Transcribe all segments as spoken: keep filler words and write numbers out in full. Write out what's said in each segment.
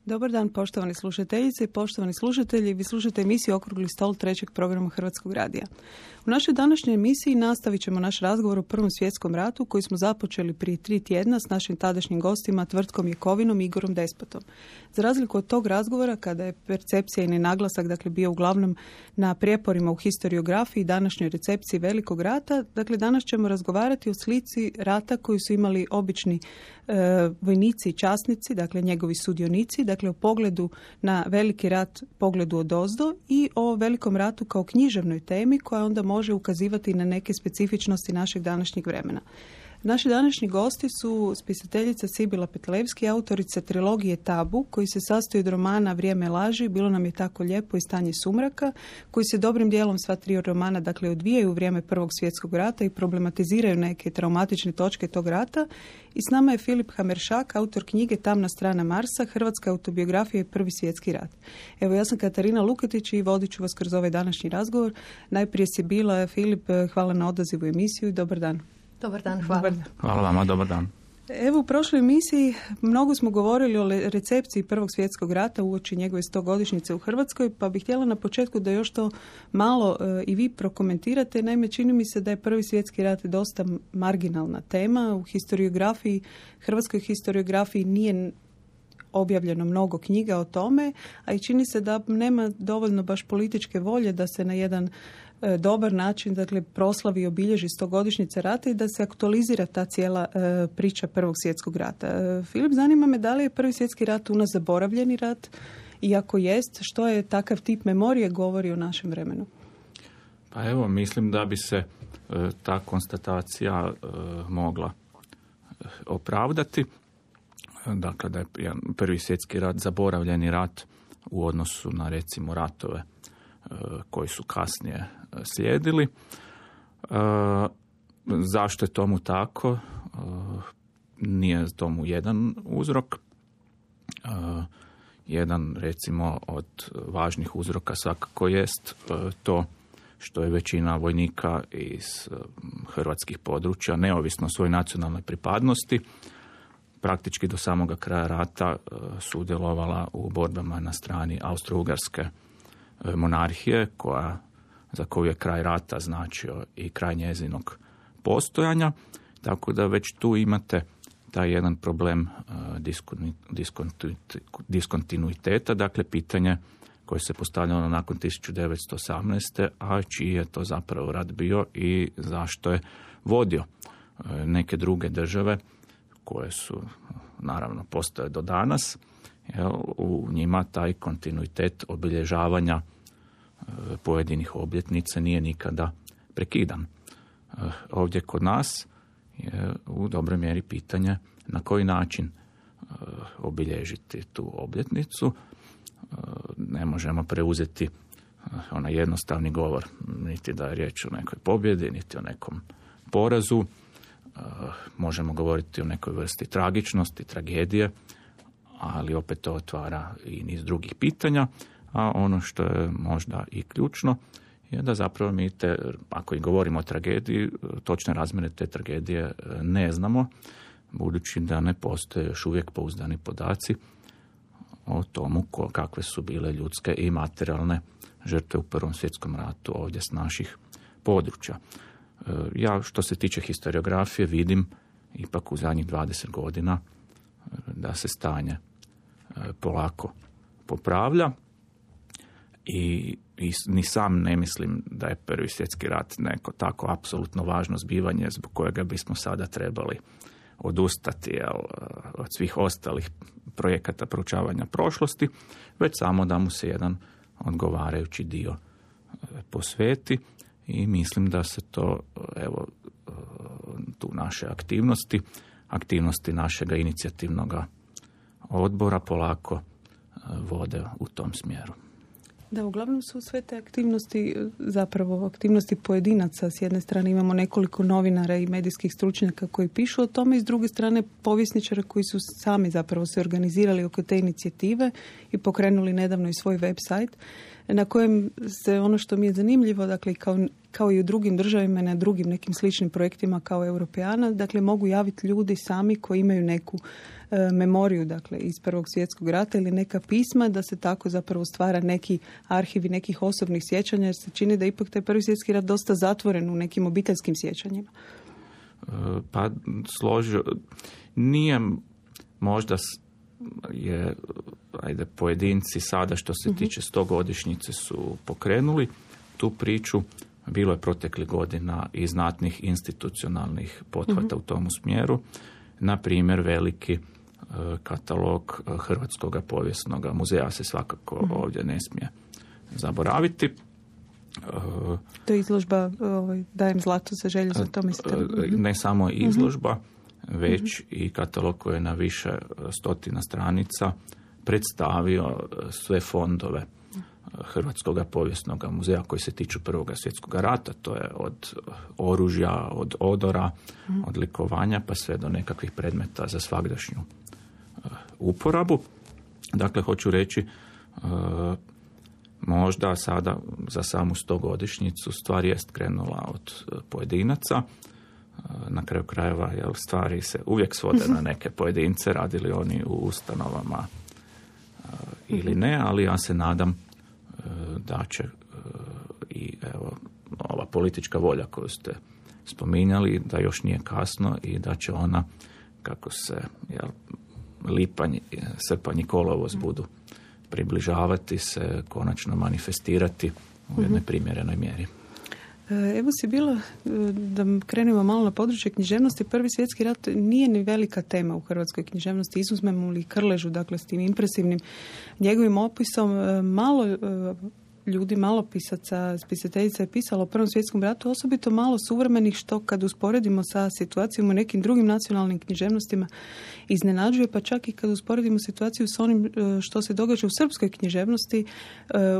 Dobar dan, poštovani slušateljice i poštovani slušatelji. Vi slušate emisiju Okrugli stol trećeg programa Hrvatskog radija. U našoj današnjoj emisiji nastavit ćemo naš razgovor o Prvom svjetskom ratu koji smo započeli prije tri tjedna s našim tadašnjim gostima Tvrtkom Jakovinom i Igorom Despotom. Za razliku od tog razgovora, kada je percepcija i naglasak dakle, bio uglavnom na prijeporima u historiografiji i današnjoj recepciji Velikog rata, dakle danas ćemo razgovarati o slici rata koji su imali obični e, vojnici i časnici, dakle njegovi sudionici, dakle o pogledu na Veliki rat, pogledu odozdo i o Velikom ratu kao književnoj temi koja onda može ukazivati na neke specifičnosti našeg današnjeg vremena. Naši današnji gosti su spisateljica Sibila Petlevski, autorica trilogije Tabu, koji se sastoji od romana Vrijeme laži, Bilo nam je tako lijepo i Stanje sumraka, koji se dobrim dijelom sva tri romana dakle odvijaju u vrijeme Prvog svjetskog rata i problematiziraju neke traumatične točke tog rata. I s nama je Filip Hameršak, autor knjige Tamna strana Marsa, hrvatska autobiografija i Prvi svjetski rat. Evo, ja sam Katarina Luketić i vodit ću vas kroz ovaj današnji razgovor. Najprije Sibila, Filip, hvala na odazivu emisiju i dobar dan. Dobar dan, hvala. Dobar dan. Hvala vama, dobar dan. Evo, u prošloj emisiji mnogo smo govorili o recepciji Prvog svjetskog rata uoči njegove stogodišnjice u Hrvatskoj, pa bih htjela na početku da još to malo e, i vi prokomentirate. Naime, čini mi se da je Prvi svjetski rat dosta marginalna tema. U historiografiji, hrvatskoj historiografiji nije objavljeno mnogo knjiga o tome, a i čini se da nema dovoljno baš političke volje da se na jedan e, dobar način dakle, proslavi i obilježi stogodišnjica rata i da se aktualizira ta cijela e, priča Prvog svjetskog rata. E, Filip, zanima me da li je Prvi svjetski rat u nas zaboravljeni rat i ako jest, što je takav tip memorije govori o našem vremenu? Pa evo, mislim da bi se e, ta konstatacija e, mogla e, opravdati. Dakle, da je Prvi svjetski rat zaboravljeni rat u odnosu na recimo ratove e, koji su kasnije slijedili. E, zašto je tomu tako? E, nije tomu jedan uzrok. E, jedan recimo od važnih uzroka svakako jest e, to što je većina vojnika iz e, hrvatskih područja, neovisno o svojoj nacionalnoj pripadnosti, praktički do samoga kraja rata e, sudjelovala u borbama na strani Austro-Ugarske e, monarhije, koja, za koju je kraj rata značio i kraj njezinog postojanja. Tako da već tu imate taj jedan problem e, diskontinuiteta, dakle pitanje koje se postavljalo nakon tisuću devetsto osamnaeste. a čiji je to zapravo rat bio i zašto je vodio e, neke druge države koje su, naravno, postoje do danas, jel, u njima taj kontinuitet obilježavanja e, pojedinih obljetnica nije nikada prekidan. E, ovdje kod nas je u dobroj mjeri pitanje na koji način e, obilježiti tu obljetnicu. E, ne možemo preuzeti e, onaj jednostavni govor, niti da je riječ o nekoj pobjedi, niti o nekom porazu. Možemo govoriti o nekoj vrsti tragičnosti, tragedije, ali opet to otvara i niz drugih pitanja, a ono što je možda i ključno je da zapravo mi te, ako i govorimo o tragediji, točne razmjere te tragedije ne znamo, budući da ne postoje još uvijek pouzdani podaci o tomu kakve su bile ljudske i materijalne žrtve u Prvom svjetskom ratu ovdje s naših područja. Ja, što se tiče historiografije, vidim ipak u zadnjih dvadeset godina da se stanje polako popravlja i, i ni sam ne mislim da je Prvi svjetski rat neko tako apsolutno važno zbivanje zbog kojega bismo sada trebali odustati jel, od svih ostalih projekata proučavanja prošlosti, već samo da mu se jedan odgovarajući dio posveti. I mislim da se to, evo, tu naše aktivnosti, aktivnosti našega inicijativnog odbora polako vode u tom smjeru. Da, uglavnom su sve te aktivnosti, zapravo aktivnosti pojedinaca. S jedne strane imamo nekoliko novinara i medijskih stručnjaka koji pišu o tome i s druge strane povjesničara koji su sami zapravo se organizirali oko te inicijative i pokrenuli nedavno i svoj web sajt. na kojem se ono što mi je zanimljivo, dakle kao, kao i u drugim državama, na drugim nekim sličnim projektima kao Europeana, dakle mogu javiti ljudi sami koji imaju neku e, memoriju, dakle iz Prvog svjetskog rata ili neka pisma, da se tako zapravo stvara neki arhivi nekih osobnih sjećanja, jer se čini da ipak taj Prvi svjetski rat dosta zatvoren u nekim obiteljskim sjećanjima. Pa složio, nije možda je, ajde, pojedinci sada što se tiče stogodišnjice su pokrenuli tu priču. Bilo je proteklih godina i znatnih institucionalnih pothvata uh-huh. u tom smjeru. Na primjer, veliki e, katalog Hrvatskog povijesnog muzeja se svakako uh-huh. ovdje ne smije zaboraviti. E, to je izložba ovaj, Dajem zlato za želju za to, mislite? Ne samo izložba, uh-huh. već uh-huh. i katalog koji je na više stotina stranica predstavio sve fondove Hrvatskog povijesnog muzeja koji se tiču Prvog svjetskog rata. To je od oružja, od odora, mm. od likovanja pa sve do nekakvih predmeta za svagdašnju uh, uporabu. Dakle, hoću reći, uh, možda sada za samu stogodišnjicu stvar jest krenula od uh, pojedinaca. Uh, na kraju krajeva, jel, stvari se uvijek svode na neke pojedince, radili oni u ustanovama uh, ili ne, ali ja se nadam da će i evo, ova politička volja koju ste spominjali, da još nije kasno i da će ona, kako se jel, lipanj, srpanj i kolovoz budu približavati, se konačno manifestirati u jednoj primjerenoj mjeri. Evo si bila, da krenemo malo na područje književnosti, Prvi svjetski rat nije ni velika tema u hrvatskoj književnosti, izuzmemo li Krležu, dakle s tim impresivnim njegovim opisom, malo ljudi, malo pisaca, pisateljica je pisalo o Prvom svjetskom ratu, osobito malo suvremenih, što kad usporedimo sa situacijom u nekim drugim nacionalnim književnostima iznenađuje, pa čak i kad usporedimo situaciju s onim što se događa u srpskoj književnosti,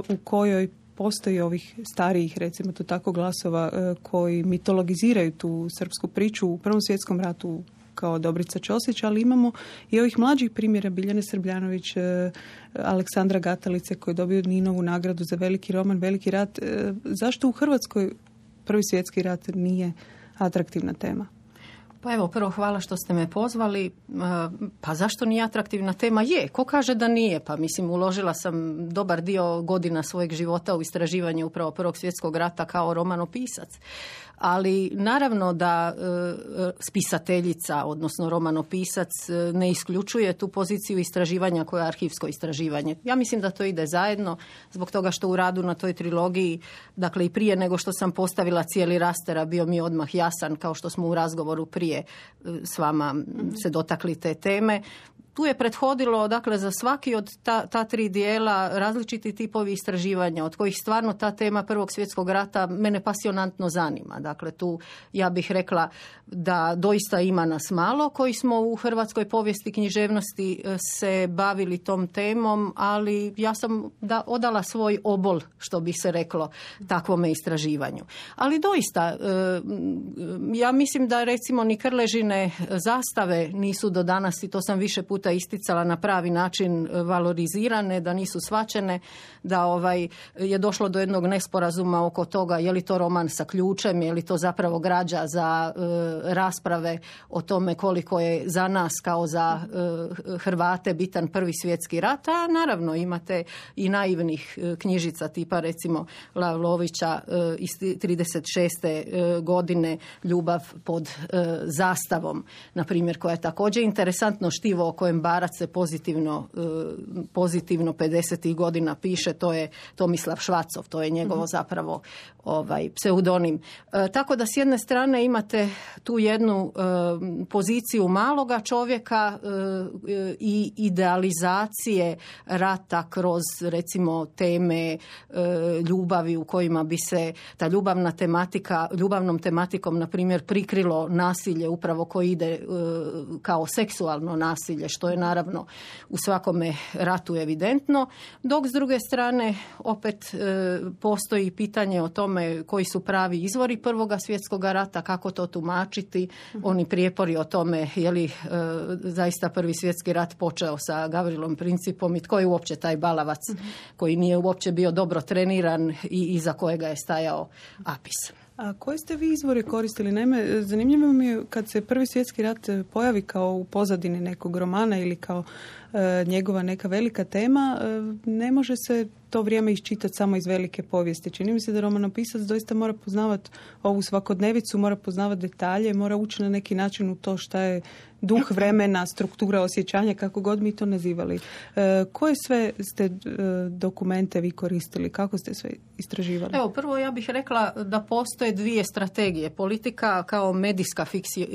u kojoj postoji ovih starijih, recimo to tako, glasova koji mitologiziraju tu srpsku priču u Prvom svjetskom ratu kao Dobrica Ćosić, ali imamo i ovih mlađih primjera, Biljane Srbljanović, Aleksandra Gatalice koji je dobio Ninovu nagradu za veliki roman, Veliki rat. Zašto u Hrvatskoj Prvi svjetski rat nije atraktivna tema? Pa evo, prvo hvala što ste me pozvali. Pa zašto nije atraktivna tema? Je, ko kaže da nije? Pa mislim, uložila sam dobar dio godina svojeg života u istraživanje upravo Prvog svjetskog rata kao romanopisac. Ali naravno da e, spisateljica, odnosno romanopisac, ne isključuje tu poziciju istraživanja koja je arhivsko istraživanje. Ja mislim da to ide zajedno, zbog toga što u radu na toj trilogiji, dakle i prije nego što sam postavila cijeli raster, bio mi odmah jasan, kao što smo u razgovoru prije s vama se dotakli te teme. Tu je prethodilo, dakle, za svaki od ta, ta tri dijela različiti tipovi istraživanja, od kojih stvarno ta tema Prvog svjetskog rata mene pasionantno zanima. Dakle, tu ja bih rekla da doista ima nas malo koji smo u hrvatskoj povijesti književnosti se bavili tom temom, ali ja sam da odala svoj obol, što bi se reklo, takvome istraživanju. Ali doista, ja mislim da recimo ni Krležine zastave nisu do danas, i to sam više puta isticala, na pravi način valorizirane, da nisu shvaćene, da ovaj je došlo do jednog nesporazuma oko toga je li to roman sa ključem, je li to zapravo građa za e, rasprave o tome koliko je za nas kao za e, Hrvate bitan Prvi svjetski rat, a naravno imate i naivnih e, knjižica tipa recimo Lavlovića e, iz trideset šeste E, godine Ljubav pod e, zastavom, na primjer, koja je također interesantno štivo o kojem Barac se pozitivno, pozitivno pedesetih godina piše, to je Tomislav Švacov, to je njegovo zapravo ovaj, pseudonim. E, tako da s jedne strane imate tu jednu e, poziciju maloga čovjeka e, i idealizacije rata kroz recimo teme e, ljubavi u kojima bi se ta ljubavna tematika, ljubavnom tematikom na primjer prikrilo nasilje upravo koje ide e, kao seksualno nasilje, što je naravno u svakome ratu evidentno, dok s druge strane opet e, postoji pitanje o tome koji su pravi izvori Prvoga svjetskog rata, kako to tumačiti, oni prijepori o tome je li e, zaista Prvi svjetski rat počeo sa Gavrilom Principom i tko je uopće taj balavac koji nije uopće bio dobro treniran i iza kojega je stajao Apis. A koje ste vi izvore koristili? Naime, zanimljivo mi je kad se Prvi svjetski rat pojavi kao u pozadini nekog romana ili kao e, njegova neka velika tema, e, ne može se to vrijeme iščitati samo iz velike povijesti. Čini mi se da romanopisac doista mora poznavati ovu svakodnevicu, mora poznavati detalje, mora ući na neki način u to šta je duh vremena, struktura osjećanja, kako god mi to nazivali. E, koje sve ste e, dokumente vi koristili? Kako ste sve istraživali? Evo, prvo ja bih rekla da postoje dvije strategije. Politika kao medijska fiksi, e,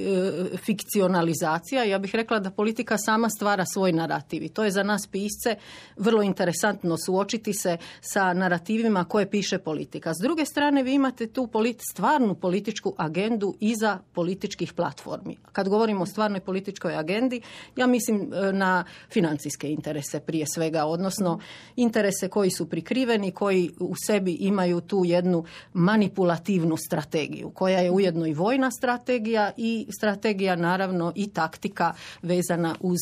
fikcionalizacija. Ja bih rekla da politika sama stvara svoj narativ. I to je za nas pisce vrlo interesantno suočiti se sa narativima koje piše politika. S druge strane, vi imate tu politi- stvarnu političku agendu iza političkih platformi. Kad govorimo o stvarnoj političkoj agendi, ja mislim na financijske interese prije svega, odnosno interese koji su prikriveni, koji u sebi imaju tu jednu manipulativnu strategiju, koja je ujedno i vojna strategija i strategija naravno i taktika vezana uz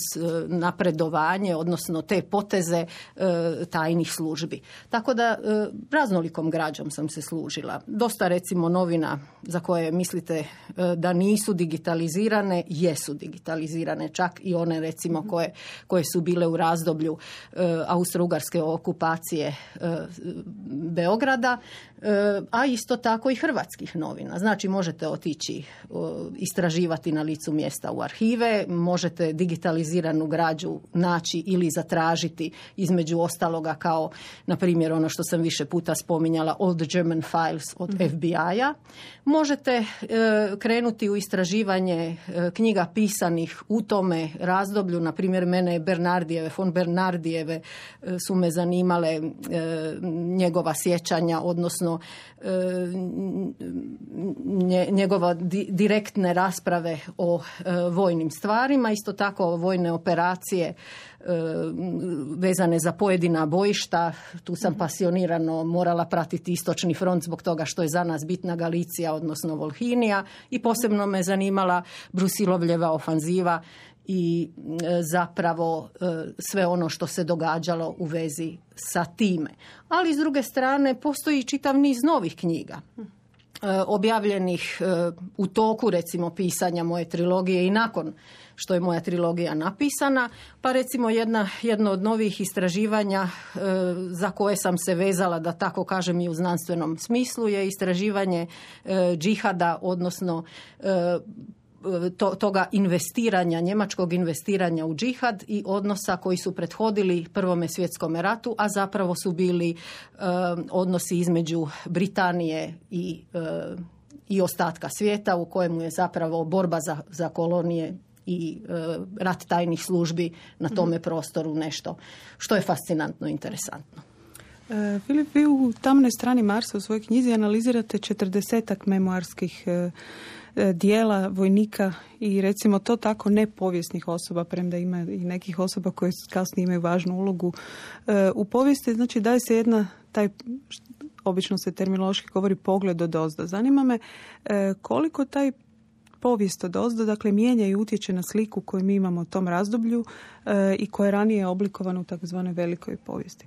napredovanje, odnosno te poteze tajnih službi. Tako da raznolikom građom sam se služila. Dosta recimo novina za koje mislite da nisu digitalizirane, jesu digitalizirane, čak i one recimo koje, koje su bile u razdoblju austro-ugarske okupacije Beograda, a isto tako i hrvatskih novina. Znači možete otići istraživati na licu mjesta u arhive, možete digitaliziranu građu naći ili zatražiti između ostaloga kao na primjer ono što sam više puta spominjala All the German Files od mm-hmm. F B I-a. Možete e, krenuti u istraživanje e, knjiga pisanih u tome razdoblju, na primjer mene Bernardijeve, von Bernardijeve e, su me zanimale e, njegova sjećanja, odnosno e, nje, njegova di, direktne rasprave o e, vojnim stvarima, isto tako vojne operacije vezane za pojedina bojišta. Tu sam pasionirano morala pratiti istočni front zbog toga što je za nas bitna Galicija, odnosno Volhinija, i posebno me zanimala Brusilovljeva ofanziva i zapravo sve ono što se događalo u vezi sa time. Ali s druge strane postoji čitav niz novih knjiga objavljenih u toku recimo pisanja moje trilogije i nakon što je moja trilogija napisana, pa recimo jedna, jedno od novih istraživanja e, za koje sam se vezala, da tako kažem i u znanstvenom smislu, je istraživanje e, džihada, odnosno e, To, toga investiranja, njemačkog investiranja u džihad i odnosa koji su prethodili Prvome svjetskome ratu, a zapravo su bili e, odnosi između Britanije i, e, i ostatka svijeta, u kojemu je zapravo borba za, za kolonije i e, rat tajnih službi na tome mm. prostoru nešto što je fascinantno i interesantno. E, Filip, vi u Tamnoj strani Marsa u svojoj knjizi analizirate četrdesetak memoarskih e, dijela vojnika i recimo to tako nepovijesnih osoba, premda ima i nekih osoba koje kasnije imaju važnu ulogu e, u povijesti. Znači daje se jedna, taj, obično se terminološki govori, pogled od ozdo. Zanima me e, koliko taj povijest od ozdo, dakle, mijenja i utječe na sliku koju mi imamo u tom razdoblju e, i koja je ranije oblikovana u takozvanoj velikoj povijesti.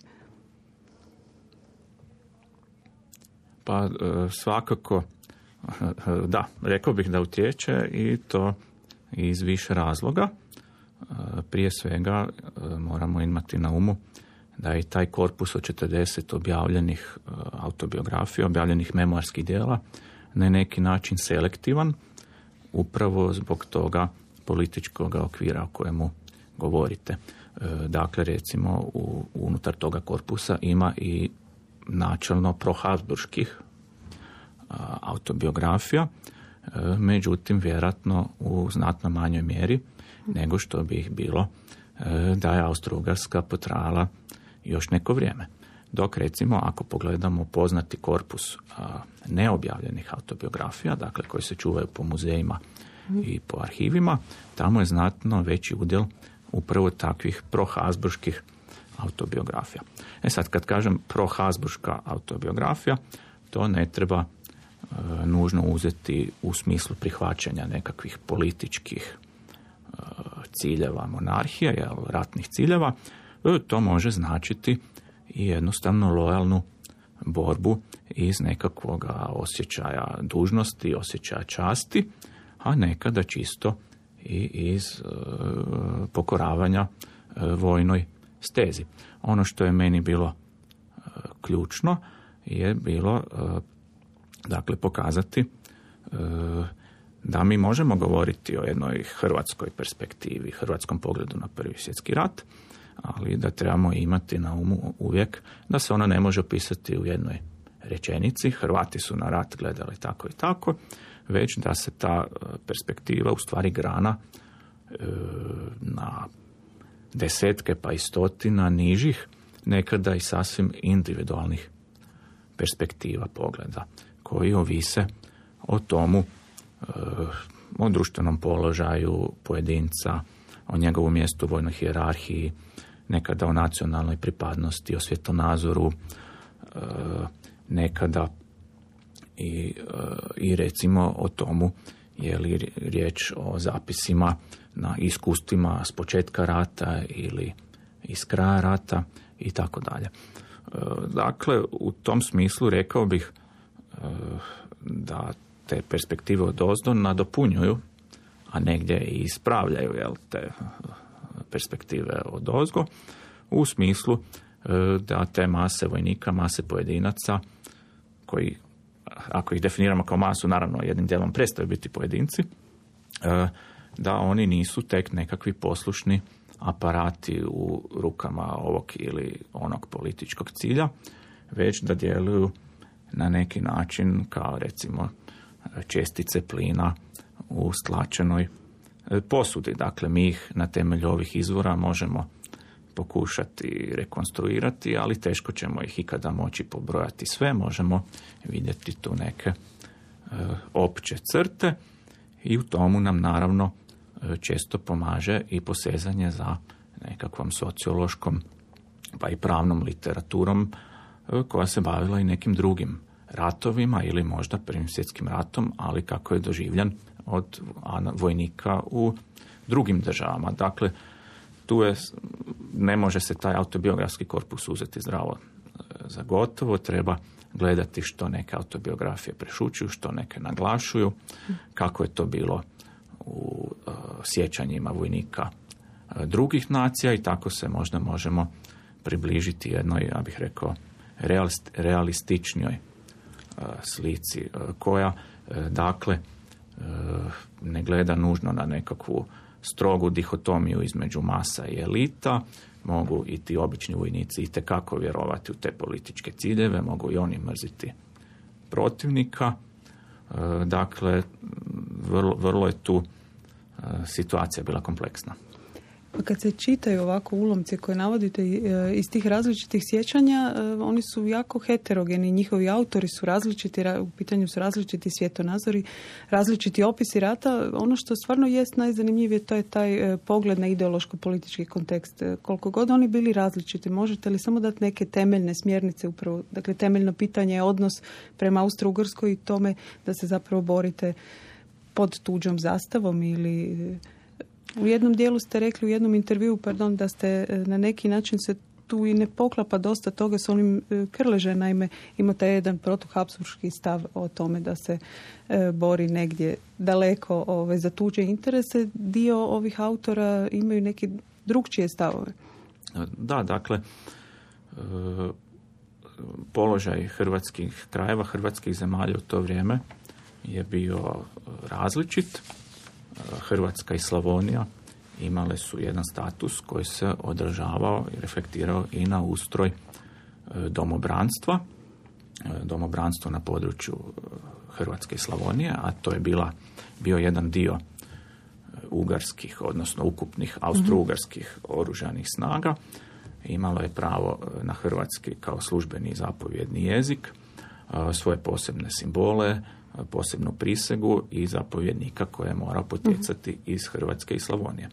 Pa svakako da, rekao bih da utječe i to iz više razloga. Prije svega moramo imati na umu da je taj korpus od četrdeset objavljenih autobiografija, objavljenih memoarskih djela na neki način selektivan, upravo zbog toga političkog okvira o kojemu govorite. Dakle, recimo, u, unutar toga korpusa ima i načelno prohabsburških autobiografija, međutim, vjerojatno u znatno manjoj mjeri nego što bi ih bilo da je Austro-Ugarska potrajala još neko vrijeme. Dok, recimo, ako pogledamo poznati korpus neobjavljenih autobiografija, dakle, koji se čuvaju po muzejima i po arhivima, tamo je znatno veći udjel upravo takvih prohabsburških autobiografija. E sad, kad kažem prohabsburška autobiografija, to ne treba e, nužno uzeti u smislu prihvaćanja nekakvih političkih e, ciljeva monarhije, jel, ratnih ciljeva. E, to može značiti i jednostavno lojalnu borbu iz nekakvog osjećaja dužnosti, osjećaja časti, a nekada čisto i iz e, pokoravanja e, vojnoj stezi. Ono što je meni bilo e, ključno je bilo e, dakle pokazati e, da mi možemo govoriti o jednoj hrvatskoj perspektivi, hrvatskom pogledu na Prvi svjetski rat, ali da trebamo imati na umu uvijek da se ona ne može opisati u jednoj rečenici, Hrvati su na rat gledali tako i tako, već da se ta perspektiva u stvari grana e, na desetke pa i stotina nižih, nekada i sasvim individualnih perspektiva pogleda, koji ovise o tomu, e, o društvenom položaju pojedinca, o njegovu mjestu u vojnoj hijerarhiji, nekada o nacionalnoj pripadnosti, o svjetonazoru, e, nekada i, i recimo o tomu je li riječ o zapisima na iskustvima s početka rata ili iz kraja rata i tako dalje. Dakle, u tom smislu rekao bih da te perspektive odozdo nadopunjuju, a negdje i ispravljaju, jel, te perspektive odozgo, u smislu da te mase vojnika, mase pojedinaca, koji, ako ih definiramo kao masu, naravno jednim dijelom prestaju biti pojedinci, da oni nisu tek nekakvi poslušni aparati u rukama ovog ili onog političkog cilja, već da djeluju na neki način kao recimo čestice plina u stlačenoj posudi. Dakle, mi ih na temelju ovih izvora možemo pokušati rekonstruirati, ali teško ćemo ih ikada moći pobrojati sve. Možemo vidjeti tu neke e, opće crte i u tomu nam naravno e, često pomaže i posezanje za nekakvom sociološkom pa i pravnom literaturom e, koja se bavila i nekim drugim ratovima ili možda Prvim svjetskim ratom, ali kako je doživljan od vojnika u drugim državama. Dakle, tu je, ne može se taj autobiografski korpus uzeti zdravo za gotovo, treba gledati što neke autobiografije prešućuju, što neke naglašuju, kako je to bilo u uh, sjećanjima vojnika uh, drugih nacija i tako se možda možemo približiti jednoj, ja bih rekao, realist, realističnijoj uh, slici uh, koja, uh, dakle, uh, ne gleda nužno na nekakvu strogu dihotomiju između masa i elita, mogu i ti obični vojnici itekako vjerovati u te političke ciljeve, mogu i oni mrziti protivnika. Dakle, vrlo, vrlo je tu situacija bila kompleksna. Pa kad se čitaju ovako ulomci koje navodite iz tih različitih sjećanja, oni su jako heterogeni, njihovi autori su različiti, u pitanju su različiti svjetonazori, različiti opisi rata. Ono što stvarno jest najzanimljivije, to je taj pogled na ideološko-politički kontekst. Koliko god oni bili različiti, možete li samo dati neke temeljne smjernice upravo? Dakle, temeljno pitanje je odnos prema Austro-Ugarskoj i tome da se zapravo borite pod tuđom zastavom ili... U jednom dijelu ste rekli, u jednom intervjuu, pardon, da ste na neki način se tu i ne poklapa dosta toga s onim Krleže, naime ima taj jedan protuhabsburški stav o tome da se e, bori negdje daleko ove, za tuđe interese. Dio ovih autora imaju neki drugčije stavove. Da, dakle, e, položaj hrvatskih krajeva, hrvatskih zemalja u to vrijeme je bio različit. Hrvatska i Slavonija imale su jedan status koji se održavao i reflektirao i na ustroj domobranstva. Domobranstvo na području Hrvatske i Slavonije, a to je bila, bio jedan dio ugarskih, odnosno ukupnih austro-ugarskih oružanih snaga. Imalo je pravo na hrvatski kao službeni i zapovjedni jezik, svoje posebne simbole, posebnu prisegu i zapovjednika koje je morao potjecati iz Hrvatske i Slavonije.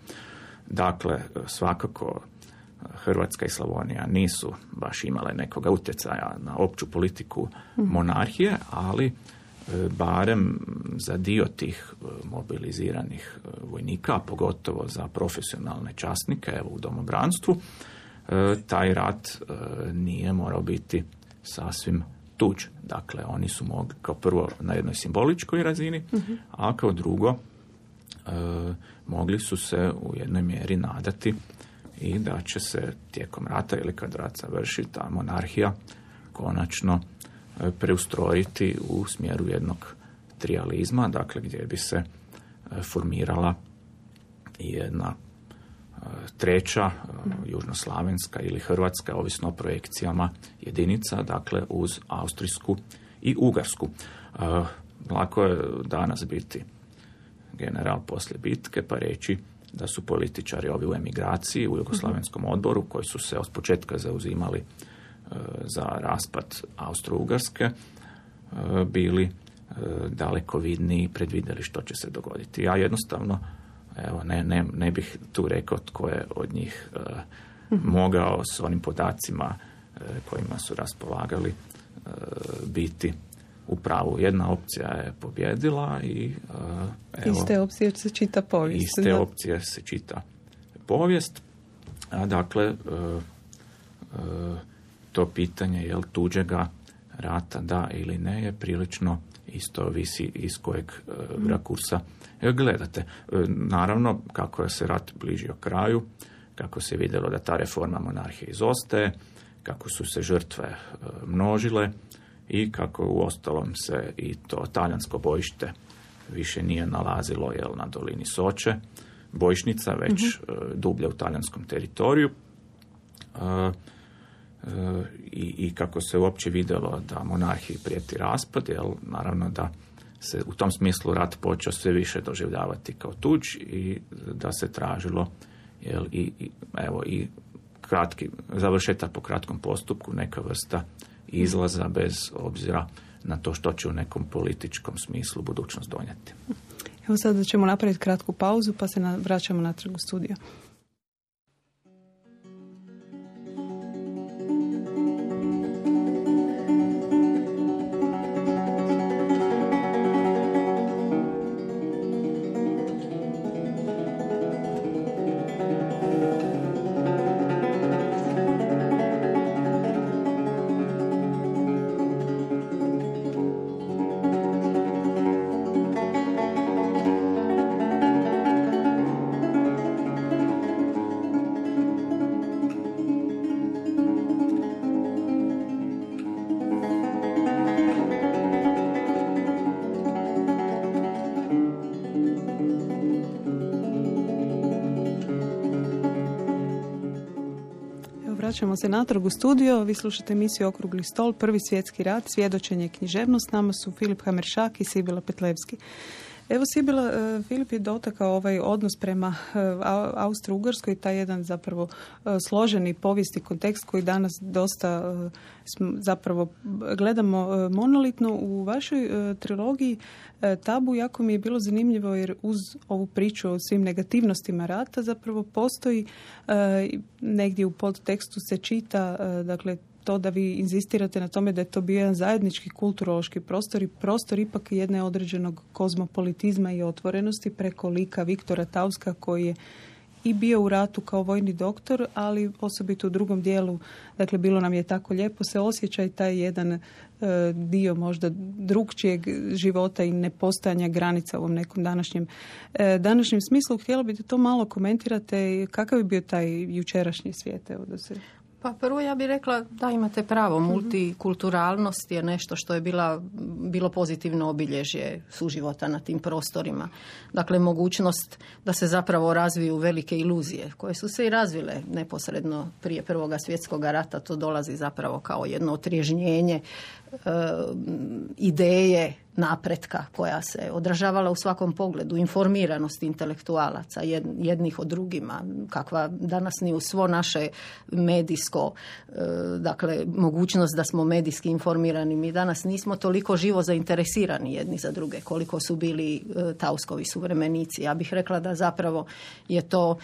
Dakle, svakako Hrvatska i Slavonija nisu baš imale nekoga utjecaja na opću politiku monarhije, ali barem za dio tih mobiliziranih vojnika, pogotovo za profesionalne časnike, evo u domobranstvu, taj rat nije morao biti sasvim tuđ. Dakle, oni su mogli kao prvo na jednoj simboličkoj razini, uh-huh. a kao drugo mogli su se u jednoj mjeri nadati i da će se tijekom rata ili kad rat završi ta monarhija konačno preustrojiti u smjeru jednog trijalizma, dakle gdje bi se formirala jedna treća, južnoslavenska ili hrvatska, ovisno o projekcijama jedinica, dakle uz austrijsku i ugarsku. Lako je danas biti general poslije bitke pa reći da su političari ovi u emigraciji u Jugoslavenskom odboru koji su se od početka zauzimali za raspad Austro-Ugarske bili daleko vidniji i predvidjeli što će se dogoditi. Ja jednostavno evo, ne, ne, ne bih tu rekao tko je od njih mogao s onim podacima kojima su raspolagali biti u pravu. Jedna opcija je pobjedila i evo, iste opcije se čita povijest. Iste da. opcije se čita povijest. A dakle, to pitanje je li tuđega rata da ili ne je prilično isto visi iz kojeg mm. rakursa gledate. Naravno, kako je se rat bližio kraju, kako se vidjelo da ta reforma monarhije izostaje, kako su se žrtve množile i kako u ostalom se i to talijansko bojište više nije nalazilo jel, na dolini Soče, bojišnica, već mm-hmm. dublje u talijanskom teritoriju. I, i kako se uopće vidjelo da monarhiji prijeti raspad, jel, naravno da se u tom smislu rat počeo sve više doživljavati kao tuđ i da se tražilo jel, i, i, evo, i kratki, završetak po kratkom postupku, neka vrsta izlaza bez obzira na to što će u nekom političkom smislu budućnost donijeti. Evo sada ćemo napraviti kratku pauzu pa se na, vraćamo natrag u studio. Vraćamo se natrag u studio. Vi slušate emisiju Okrugli stol, Prvi svjetski rat, svjedočenje i književnost. S nama su Filip Hameršak i Sibila Petlevski. Evo Sibila, Filip je dotakao ovaj odnos prema Austro-Ugarskoj, taj jedan zapravo složeni povijesni kontekst koji danas dosta zapravo gledamo monolitno. U vašoj trilogiji Tabu jako mi je bilo zanimljivo jer uz ovu priču o svim negativnostima rata zapravo postoji negdje u podtekstu se čita dakle to da vi inzistirate na tome da je to bio jedan zajednički kulturološki prostor i prostor ipak jedne određenog kozmopolitizma i otvorenosti preko lika Viktora Tauska koji je i bio u ratu kao vojni doktor, ali osobito u drugom dijelu, dakle bilo nam je tako lijepo se osjeća i taj jedan e, dio možda drugčijeg života i nepostojanja granica u ovom nekom današnjem, e, današnjem smislu. Htjela bih da to malo komentirate, kakav je bio taj jučerašnji svijet? Evo da se... Pa prvo ja bih rekla da imate pravo, multikulturalnost je nešto što je bila, bilo pozitivno obilježje suživota na tim prostorima. Dakle, mogućnost da se zapravo razviju velike iluzije koje su se i razvile neposredno prije Prvoga svjetskog rata. To dolazi zapravo kao jedno otrježnjenje e, ideje napretka koja se odražavala u svakom pogledu, informiranosti intelektualaca jednih od drugima, kakva danas ni u svo naše medijsko, dakle mogućnost da smo medijski informirani. Mi danas nismo toliko živo zainteresirani jedni za druge koliko su bili Tauskovi suvremenici. Ja bih rekla da zapravo je to,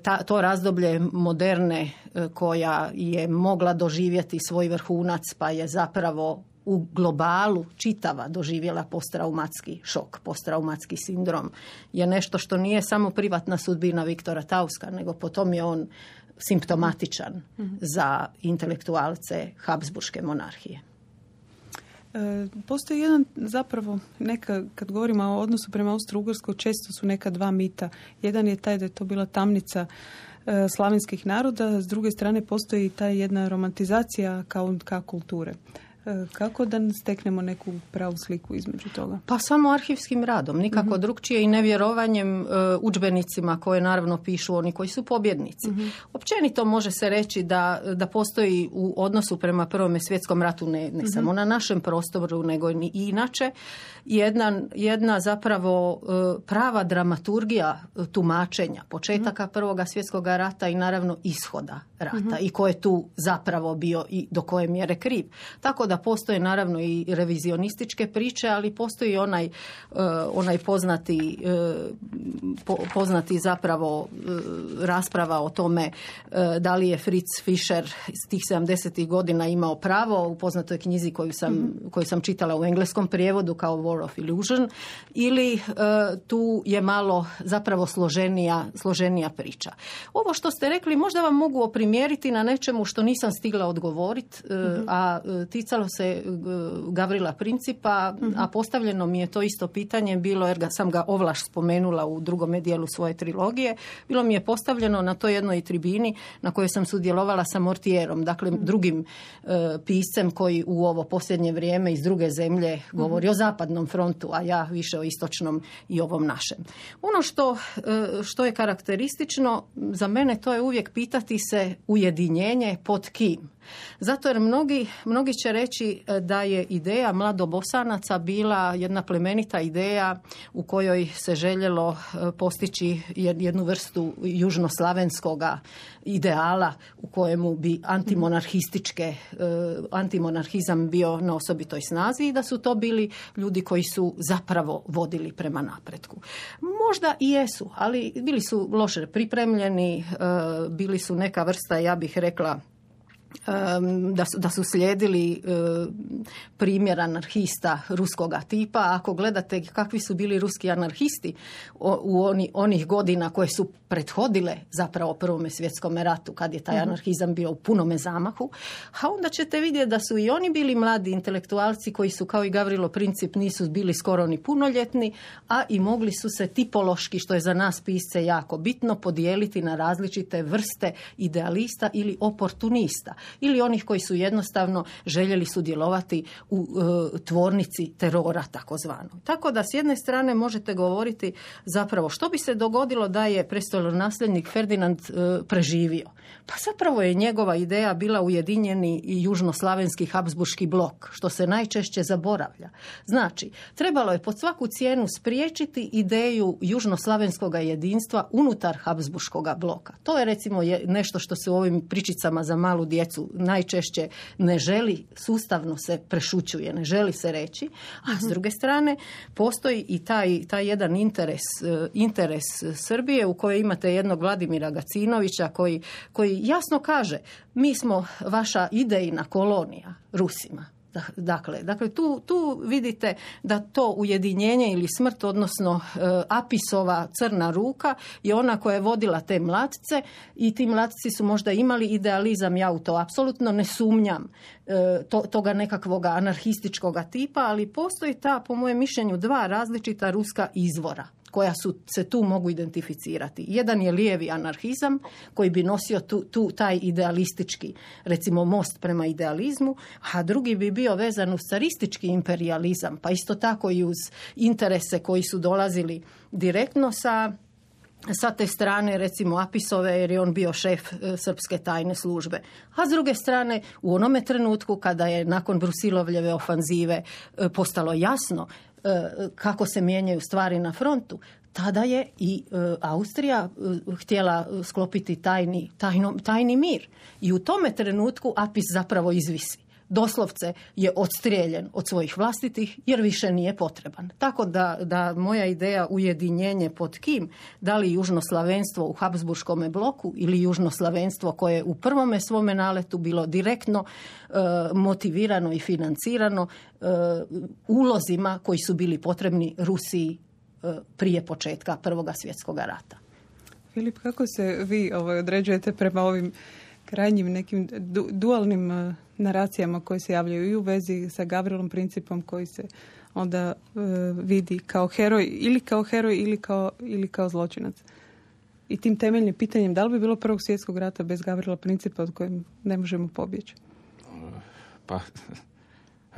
ta, to razdoblje moderne koja je mogla doživjeti svoj vrhunac pa je zapravo u globalu čitava doživjela posttraumatski šok, posttraumatski sindrom je nešto što nije samo privatna sudbina Viktora Tauska, nego potom je on simptomatičan mm-hmm. za intelektualce Habsburške monarhije. E, postoji jedan zapravo, neka, kad govorimo o odnosu prema Austro-Ugarskoj, često su neka dva mita. Jedan je taj da je to bila tamnica e, slavenskih naroda, s druge strane postoji ta jedna romantizacija kao, kao kulture. Kako da steknemo neku pravu sliku između toga? Pa samo arhivskim radom, nikako mm-hmm. drugčije i nevjerovanjem uh, udžbenicima koje naravno pišu oni koji su pobjednici. Mm-hmm. Općenito može se reći da, da postoji u odnosu prema Prvome svjetskom ratu ne, ne mm-hmm. samo na našem prostoru, nego i inače, jedna, jedna zapravo uh, prava dramaturgija tumačenja početaka mm-hmm. Prvoga svjetskog rata i naravno ishoda rata mm-hmm. i ko je tu zapravo bio i do koje mjere kriv. Tako da postoje naravno i revizionističke priče, ali postoji onaj, uh, onaj poznati, uh, po, poznati zapravo uh, rasprava o tome uh, da li je Fritz Fischer iz tih sedamdesetih godina imao pravo u poznatoj knjizi koju sam, mm-hmm. koju sam čitala u engleskom prijevodu kao War of Illusion, ili uh, tu je malo zapravo složenija, složenija priča. Ovo što ste rekli možda vam mogu oprimjeriti na nečemu što nisam stigla odgovoriti, uh, mm-hmm. a uh, ticalo se Gavrila Principa, mm-hmm. a postavljeno mi je to isto pitanje bilo, jer ga, sam ga ovlaš spomenula u drugome dijelu svoje trilogije, bilo mi je postavljeno na toj jednoj tribini na kojoj sam sudjelovala sa Mortierom, dakle mm-hmm. drugim uh, piscem koji u ovo posljednje vrijeme iz druge zemlje govori mm-hmm. o zapadnom frontu, a ja više o istočnom i ovom našem. Ono što, uh, što je karakteristično za mene, to je uvijek pitati se ujedinjenje pod kim. Zato jer mnogi, mnogi će reći da je ideja mladobosanaca bila jedna plemenita ideja u kojoj se željelo postići jednu vrstu južnoslavenskoga ideala u kojemu bi antimonarhističke, antimonarhizam bio na osobitoj snazi i da su to bili ljudi koji su zapravo vodili prema napretku. Možda i jesu, ali bili su loše pripremljeni, bili su neka vrsta, ja bih rekla, Da su, da su slijedili primjer anarhista ruskoga tipa. Ako gledate kakvi su bili ruski anarhisti u oni, onih godina koje su prethodile zapravo Prvome svjetskom ratu, kad je taj mm-hmm. anarhizam bio u punome zamahu, a onda ćete vidjeti da su i oni bili mladi intelektualci koji su kao i Gavrilo Princip nisu bili skoro ni punoljetni, a i mogli su se tipološki, što je za nas pisce jako bitno, podijeliti na različite vrste idealista ili oportunista. Ili onih koji su jednostavno željeli sudjelovati u e, tvornici terora takozvano. Tako da s jedne strane možete govoriti zapravo što bi se dogodilo da je prestolonasljednik Ferdinand e, preživio. Pa zapravo je njegova ideja bila ujedinjeni i južnoslavenski habsburški blok, što se najčešće zaboravlja. Znači, trebalo je pod svaku cijenu spriječiti ideju južnoslavenskog jedinstva unutar habsburškog bloka. To je recimo je nešto što se u ovim pričicama za malu djecu najčešće ne želi, sustavno se prešućuje, ne želi se reći, a s druge strane postoji i taj, taj jedan interes, interes Srbije u kojoj imate jednog Vladimira Gacinovića koji, koji jasno kaže, mi smo vaša idejna kolonija Rusima. Dakle, dakle tu, tu vidite da to ujedinjenje ili smrt, odnosno e, Apisova crna ruka je ona koja je vodila te mlatce i ti mlatci su možda imali idealizam, ja u to apsolutno ne sumnjam, e, to, toga nekakvog anarhističkog tipa, ali postoji ta, po mojem mišljenju, dva različita ruska izvora koja su, se tu mogu identificirati. Jedan je lijevi anarhizam koji bi nosio tu, tu taj idealistički, recimo most prema idealizmu, a drugi bi bio vezan uz caristički imperializam, pa isto tako i uz interese koji su dolazili direktno sa sa te strane recimo Apisove, jer je on bio šef srpske tajne službe. A s druge strane, u onome trenutku kada je nakon Brusilovljeve ofanzive postalo jasno kako se mijenjaju stvari na frontu, tada je i Austrija htjela sklopiti tajni, tajno, tajni mir. I u tome trenutku Apis zapravo izvisi. Doslovce je odstrijeljen od svojih vlastitih jer više nije potreban. Tako da, da moja ideja ujedinjenje pod kim, da li južnoslavenstvo u Habsburškome bloku ili južnoslavenstvo koje u prvome svome naletu bilo direktno e, motivirano i financirano e, ulozima koji su bili potrebni Rusiji e, prije početka Prvoga svjetskog rata. Filip, kako se vi ovaj, određujete prema ovim krajnjim nekim du, dualnim uh, naracijama koje se javljaju i u vezi sa Gavrilom Principom koji se onda uh, vidi kao heroj ili kao heroj ili kao, ili kao zločinac. I tim temeljnim pitanjem da li bi bilo Prvog svjetskog rata bez Gavrila Principa od kojem ne možemo pobjeći? Pa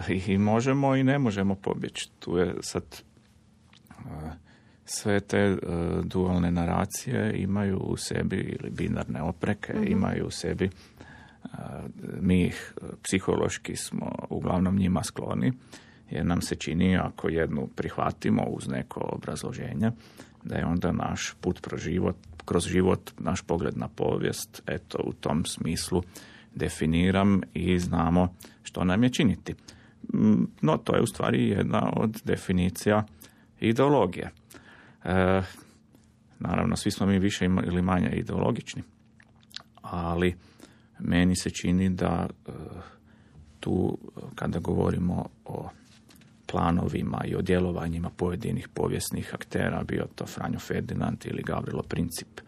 i možemo i ne možemo pobjeći. Tu je sad uh, sve te uh, dualne naracije imaju u sebi ili binarne opreke, mm-hmm. imaju u sebi, uh, mi ih psihološki smo uglavnom njima skloni, jer nam se čini ako jednu prihvatimo uz neko obrazloženje, da je onda naš put kroz život, kroz život, naš pogled na povijest, eto u tom smislu definiram i znamo što nam je činiti. No to je u stvari jedna od definicija ideologije. E, naravno, svi smo mi više ili manje ideologični, ali meni se čini da e, tu, kada govorimo o planovima i o djelovanjima pojedinih povijesnih aktera, bio to Franjo Ferdinand ili Gavrilo Princip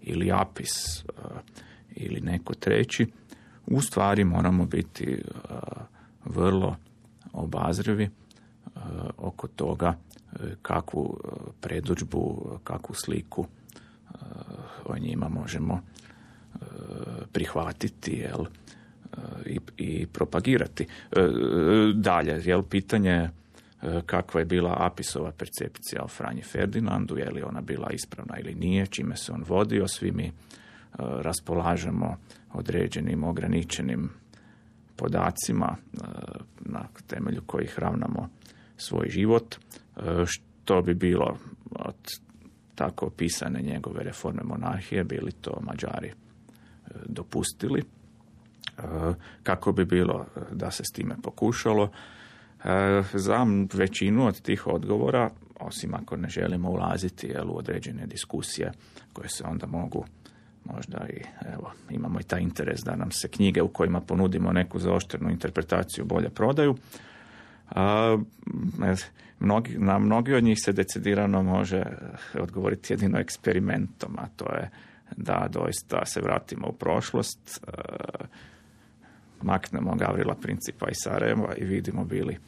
ili Apis e, ili neko treći, u stvari moramo biti e, vrlo obazrivi e, oko toga kakvu predodžbu, kakvu sliku o njima možemo prihvatiti, jel, i, i propagirati. Dalje, jel, pitanje kakva je bila Apisova percepcija o Franji Ferdinandu, je li ona bila ispravna ili nije, čime se on vodio, svi mi raspolažemo određenim ograničenim podacima na temelju kojih ravnamo svoj život. Što bi bilo od tako opisane njegove reforme monarhije, bili to Mađari dopustili, kako bi bilo da se s time pokušalo. Za većinu od tih odgovora, osim ako ne želimo ulaziti jel, u određene diskusije koje se onda mogu možda i, evo, imamo i taj interes da nam se knjige u kojima ponudimo neku zaoštrenu interpretaciju bolje prodaju. A, mnogi, na mnogi od njih se decidirano može odgovoriti jedino eksperimentom, a to je da doista se vratimo u prošlost, a, maknemo Gavrila Principa iz Sarajeva i vidimo bili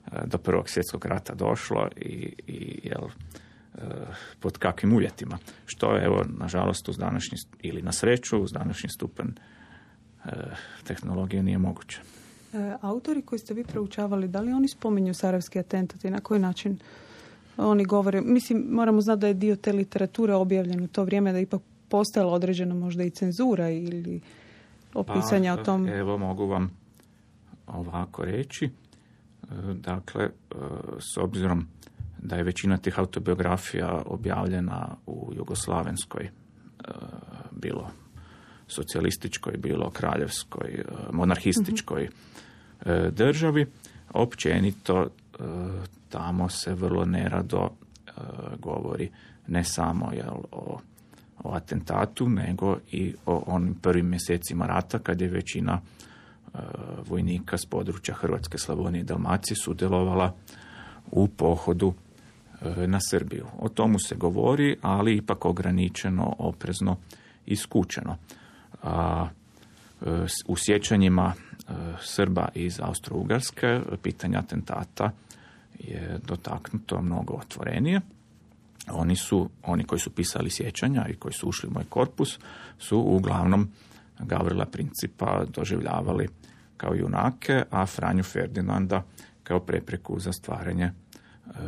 a, do Prvog svjetskog rata došlo i, i jel, a, pod kakvim uvjetima. Što je, evo, nažalost, uz današnji, ili na sreću, uz današnji stupanj a, tehnologije nije moguće. Autori koji ste vi proučavali, da li oni spominju sarajevski atentat i na koji način oni govore? Mislim, moramo znati da je dio te literature objavljen u to vrijeme, da je ipak postojala određena možda i cenzura ili opisanja pa, o tom. Evo, mogu vam ovako reći. Dakle, s obzirom da je većina tih autobiografija objavljena u jugoslavenskoj, bilo socijalističkoj, bilo kraljevskoj, monarhističkoj mm-hmm. državi, općenito tamo se vrlo nerado govori ne samo jel, o, o atentatu, nego i o onim prvim mjesecima rata kad je većina vojnika s područja Hrvatske, Slavonije i Dalmacije sudjelovala u pohodu na Srbiju. O tomu se govori, ali ipak ograničeno, oprezno i skučeno. A, u sjećanjima Srba iz Austro-Ugarske pitanje atentata je dotaknuto mnogo otvorenije. Oni su, oni koji su pisali sjećanja i koji su ušli u moj korpus, su uglavnom Gavrila Principa doživljavali kao junake, a Franju Ferdinanda kao prepreku za stvaranje e,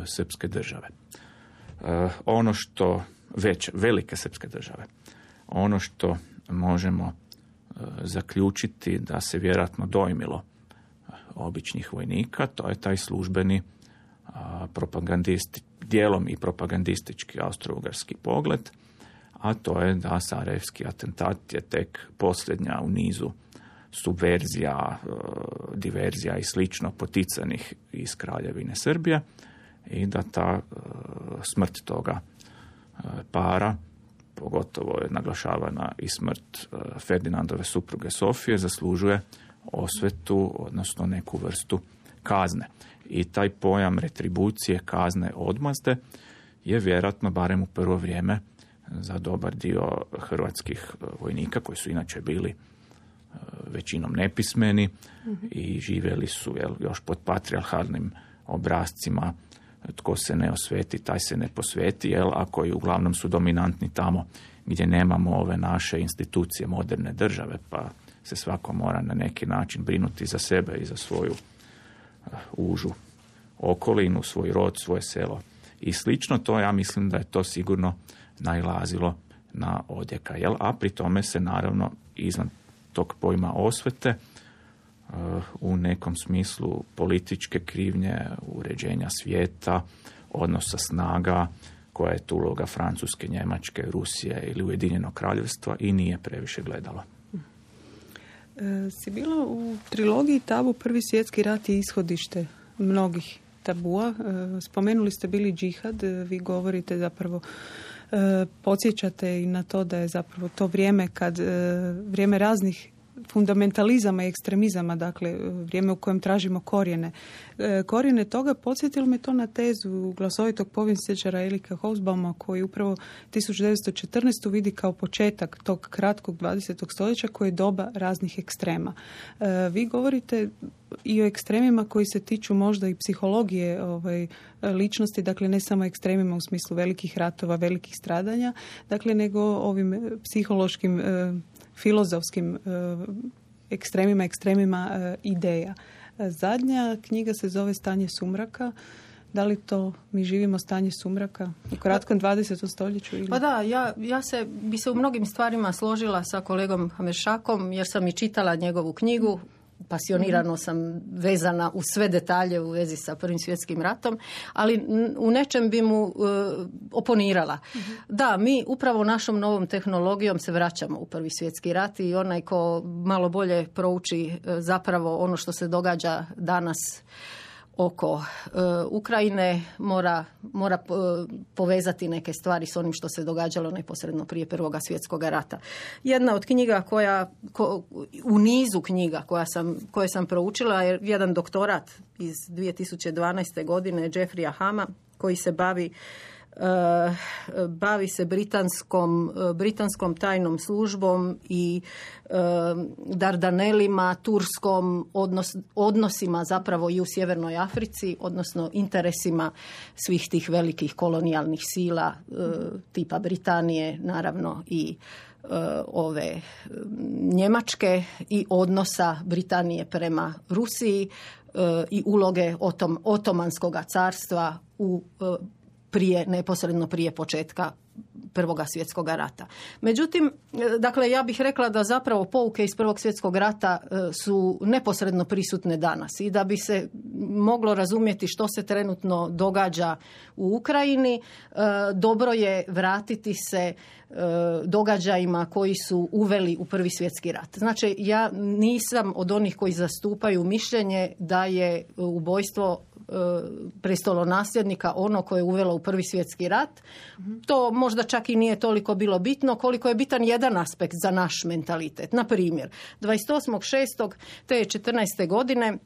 srpske države. E, ono što već velike srpske države. Ono što možemo zaključiti da se vjerojatno dojmilo običnih vojnika, to je taj službeni propagandisti, dijelom i propagandistički austro-ugarski pogled, a to je da sarajevski atentat je tek posljednja u nizu subverzija, diverzija i slično poticanih iz Kraljevine Srbije i da ta smrt toga para, pogotovo je naglašavana i smrt Ferdinandove supruge Sofije, zaslužuje osvetu, odnosno neku vrstu kazne. I taj pojam retribucije, kazne, odmazde je vjerojatno, barem u prvo vrijeme, za dobar dio hrvatskih vojnika, koji su inače bili većinom nepismeni mm-hmm. i živjeli su jel, još pod patrijarhalnim obrascima, tko se ne osveti, taj se ne posveti, jel, a koji uglavnom su dominantni tamo gdje nemamo ove naše institucije moderne države, pa se svako mora na neki način brinuti za sebe i za svoju uh, užu okolinu, svoj rod, svoje selo i slično. To ja mislim da je to sigurno nailazilo na odjeka, jel? A pri tome se naravno izvan tog pojma osvete uh, u nekom smislu političke krivnje, uređenja svijeta, odnosa snaga, koja je tu uloga Francuske, Njemačke, Rusije ili Ujedinjenog kraljevstva i nije previše gledala. E, si bila u trilogiji Tabu Prvi svjetski rat i ishodište mnogih tabua. E, spomenuli ste bili džihad, vi govorite zapravo e, podsjećate i na to da je zapravo to vrijeme kad e, vrijeme raznih fundamentalizama i ekstremizama, dakle vrijeme u kojem tražimo korijene. E, korijene toga podsjetilo me to na tezu glasovitog povjesničara Erika Hobsbauma, koji upravo tisuću devetsto četrnaeste. vidi kao početak tog kratkog dvadesetog stoljeća koje je doba raznih ekstrema. E, vi govorite i o ekstremima koji se tiču možda i psihologije ovaj, ličnosti, dakle ne samo ekstremima u smislu velikih ratova, velikih stradanja, dakle nego ovim psihološkim e, filozofskim e, ekstremima, ekstremima e, ideja. Zadnja knjiga se zove Stanje sumraka. Da li to mi živimo stanje sumraka u kratkom dvadesetom stoljeću? Ili? Pa da, ja, ja se, bi se u mnogim stvarima složila sa kolegom Hameršakom, jer sam i čitala njegovu knjigu. Pasionirano sam vezana u sve detalje u vezi sa Prvim svjetskim ratom, ali u nečem bi mu uh, oponirala. Mm-hmm. Da, mi upravo našom novom tehnologijom se vraćamo u Prvi svjetski rat i onaj ko malo bolje prouči uh, zapravo ono što se događa danas oko uh, Ukrajine mora, mora uh, povezati neke stvari s onim što se događalo neposredno prije Prvoga svjetskog rata. Jedna od knjiga koja, ko, u nizu knjiga koja sam, koje sam proučila je jedan doktorat iz dvije tisuće dvanaeste. godine Jeffreya Hama koji se bavi Uh, bavi se britanskom, uh, britanskom tajnom službom i uh, Dardanelima, turskom odnos, odnosima zapravo i u Sjevernoj Africi, odnosno interesima svih tih velikih kolonijalnih sila uh, tipa Britanije, naravno i uh, ove Njemačke i odnosa Britanije prema Rusiji uh, i uloge otom, Otomanskog carstva u uh, prije, neposredno prije početka Prvoga svjetskog rata. Međutim, dakle, ja bih rekla da zapravo pouke iz Prvog svjetskog rata su neposredno prisutne danas i da bi se moglo razumjeti što se trenutno događa u Ukrajini, dobro je vratiti se događajima koji su uveli u Prvi svjetski rat. Znači, ja nisam od onih koji zastupaju mišljenje da je ubojstvo prestolonasljednika ono koje je uvelo u Prvi svjetski rat. To možda čak i nije toliko bilo bitno koliko je bitan jedan aspekt za naš mentalitet. Na primjer, dvadeset osmog šestog te četrnaeste. godine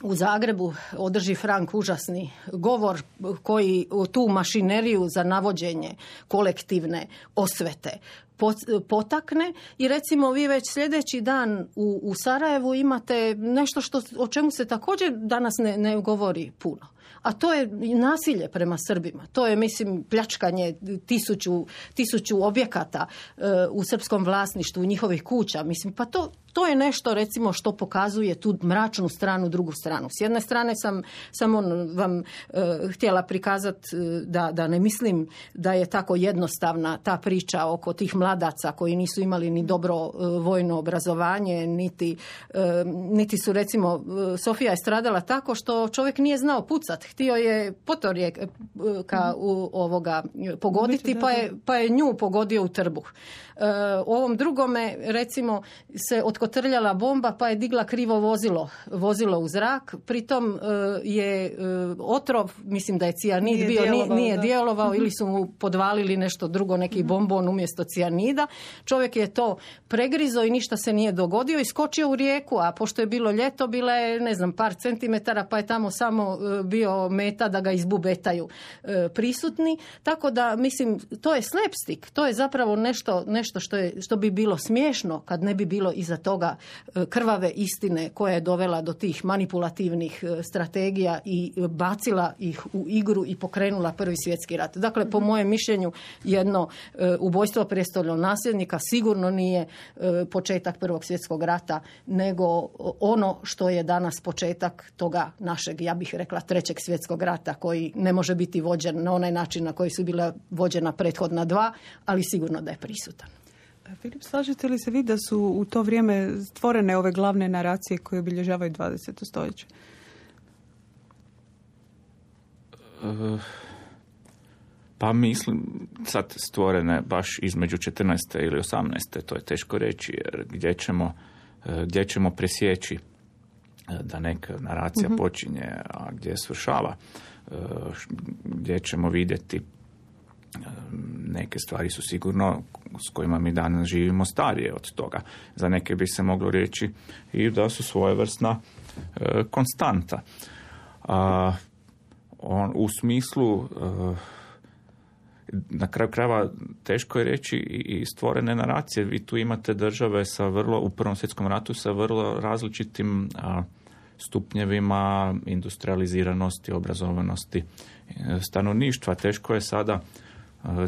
u Zagrebu održi Frank užasni govor koji tu mašineriju za navođenje kolektivne osvete potakne i recimo vi već sljedeći dan u, u Sarajevu imate nešto što, o čemu se također danas ne, ne govori puno. A to je nasilje prema Srbima. To je, mislim, pljačkanje tisuću, tisuću objekata uh, u srpskom vlasništvu, njihovih kuća. Mislim, pa to, to je nešto, recimo, što pokazuje tu mračnu stranu, drugu stranu. S jedne strane sam samo vam uh, htjela prikazati uh, da, da ne mislim da je tako jednostavna ta priča oko tih mladaca koji nisu imali ni dobro uh, vojno obrazovanje, niti, uh, niti su, recimo, uh, Sofija je stradala tako što čovjek nije znao pucat. Htio je potorjeka u ovoga pogoditi, pa je, pa je nju pogodio u trbuh. Uh, u ovom drugome, recimo, se otkotrljala bomba pa je digla krivo vozilo, vozilo u zrak. Pritom uh, je uh, otrov, mislim da je cijanid nije bio, djelovao, nije djelovao ili su mu podvalili nešto drugo, neki bombon umjesto cijanida. Čovjek je to pregrizo i ništa se nije dogodio i skočio u rijeku, a pošto je bilo ljeto, bila je, ne znam, par centimetara, pa je tamo samo uh, bio meta da ga izbubetaju uh, prisutni. Tako da, mislim, to je slapstick, to je zapravo nešto, nešto što, je, što bi bilo smiješno kad ne bi bilo iza toga krvave istine koja je dovela do tih manipulativnih strategija i bacila ih u igru i pokrenula Prvi svjetski rat. Dakle, po mojem mišljenju, jedno ubojstvo prijestolnog nasljednika sigurno nije početak Prvog svjetskog rata, nego ono što je danas početak toga našeg, ja bih rekla, Trećeg svjetskog rata, koji ne može biti vođen na onaj način na koji su bila vođena prethodna dva, ali sigurno da je prisutan. Filip, slažete li se vi da su u to vrijeme stvorene ove glavne naracije koje obilježavaju dvadeseto stoljeće? Uh, pa mislim, sad stvorene baš između četrnaeste ili osamnaeste, to je teško reći, jer gdje ćemo, gdje ćemo presjeći da neka naracija uh-huh. počinje, a gdje svršava, gdje ćemo vidjeti neke stvari su sigurno s kojima mi danas živimo starije od toga. Za neke bi se moglo reći i da su svojevrsna e, konstanta. A, on, u smislu e, na kraju krajeva teško je reći i stvorene naracije. Vi tu imate države sa vrlo, u Prvom svjetskom ratu sa vrlo različitim a, stupnjevima industrializiranosti, obrazovanosti stanovništva. Teško je sada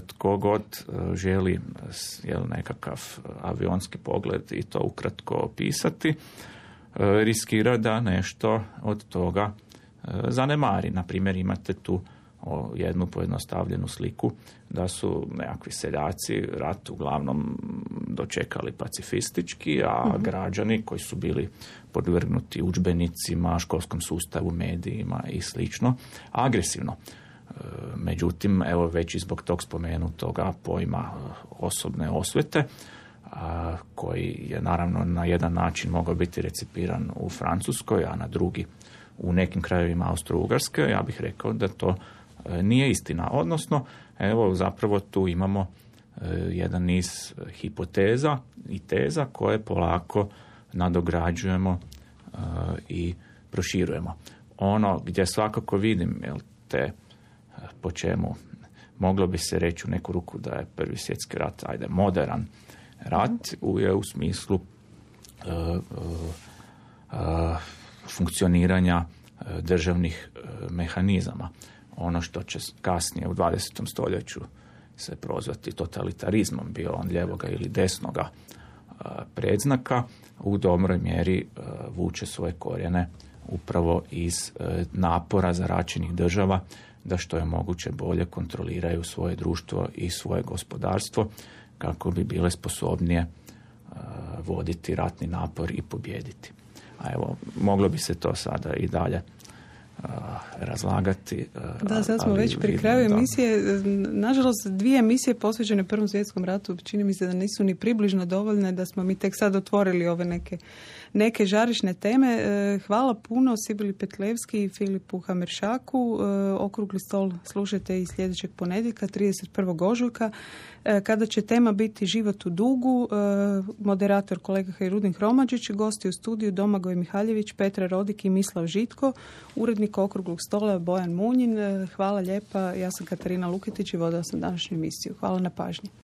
tko god želi jel, nekakav avionski pogled i to ukratko opisati, riskira da nešto od toga zanemari. Na primjer, imate tu jednu pojednostavljenu sliku da su nekakvi seljaci rat uglavnom dočekali pacifistički, a uh-huh. građani koji su bili podvrgnuti udžbenicima, školskom sustavu, medijima i slično, agresivno. Međutim, evo već i zbog tog spomenutoga pojma osobne osvete, a, koji je naravno na jedan način mogao biti recipiran u Francuskoj, a na drugi u nekim krajevima Austro-Ugarske, ja bih rekao da to e, nije istina. Odnosno, evo zapravo tu imamo e, jedan niz hipoteza i teza koje polako nadograđujemo e, i proširujemo. Ono gdje svakako vidim, jel, te po čemu moglo bi se reći u neku ruku da je Prvi svjetski rat, ajde, modern rat, u, je u smislu uh, uh, uh, funkcioniranja uh, državnih uh, mehanizama. Ono što će kasnije u dvadesetom stoljeću se prozvati totalitarizmom, bio on ljevoga ili desnoga uh, predznaka, u dobroj mjeri uh, vuče svoje korijene upravo iz uh, napora zaračenih država da što je moguće bolje kontroliraju svoje društvo i svoje gospodarstvo kako bi bile sposobnije uh, voditi ratni napor i pobijediti. A evo, moglo bi se to sada i dalje uh, razlagati. Uh, da, sad smo već pri kraju emisije. Nažalost, dvije emisije posvećene Prvom svjetskom ratu čini mi se da nisu ni približno dovoljne, da smo mi tek sad otvorili ove neke neke žarišne teme. Hvala puno Sibili Petlevski i Filipu Hameršaku. Okrugli stol slušajte i sljedećeg ponedjeljka, trideset prvog ožujka, kada će tema biti Život u dugu. Moderator kolega Hajrudin Hromadžić, gosti u studiju Domagoj Mihaljević, Petra Rodik i Mislav Žitko, urednik Okruglog stola Bojan Munjin. Hvala lijepa. Ja sam Katarina Luketić i vodila sam današnju emisiju. Hvala na pažnji.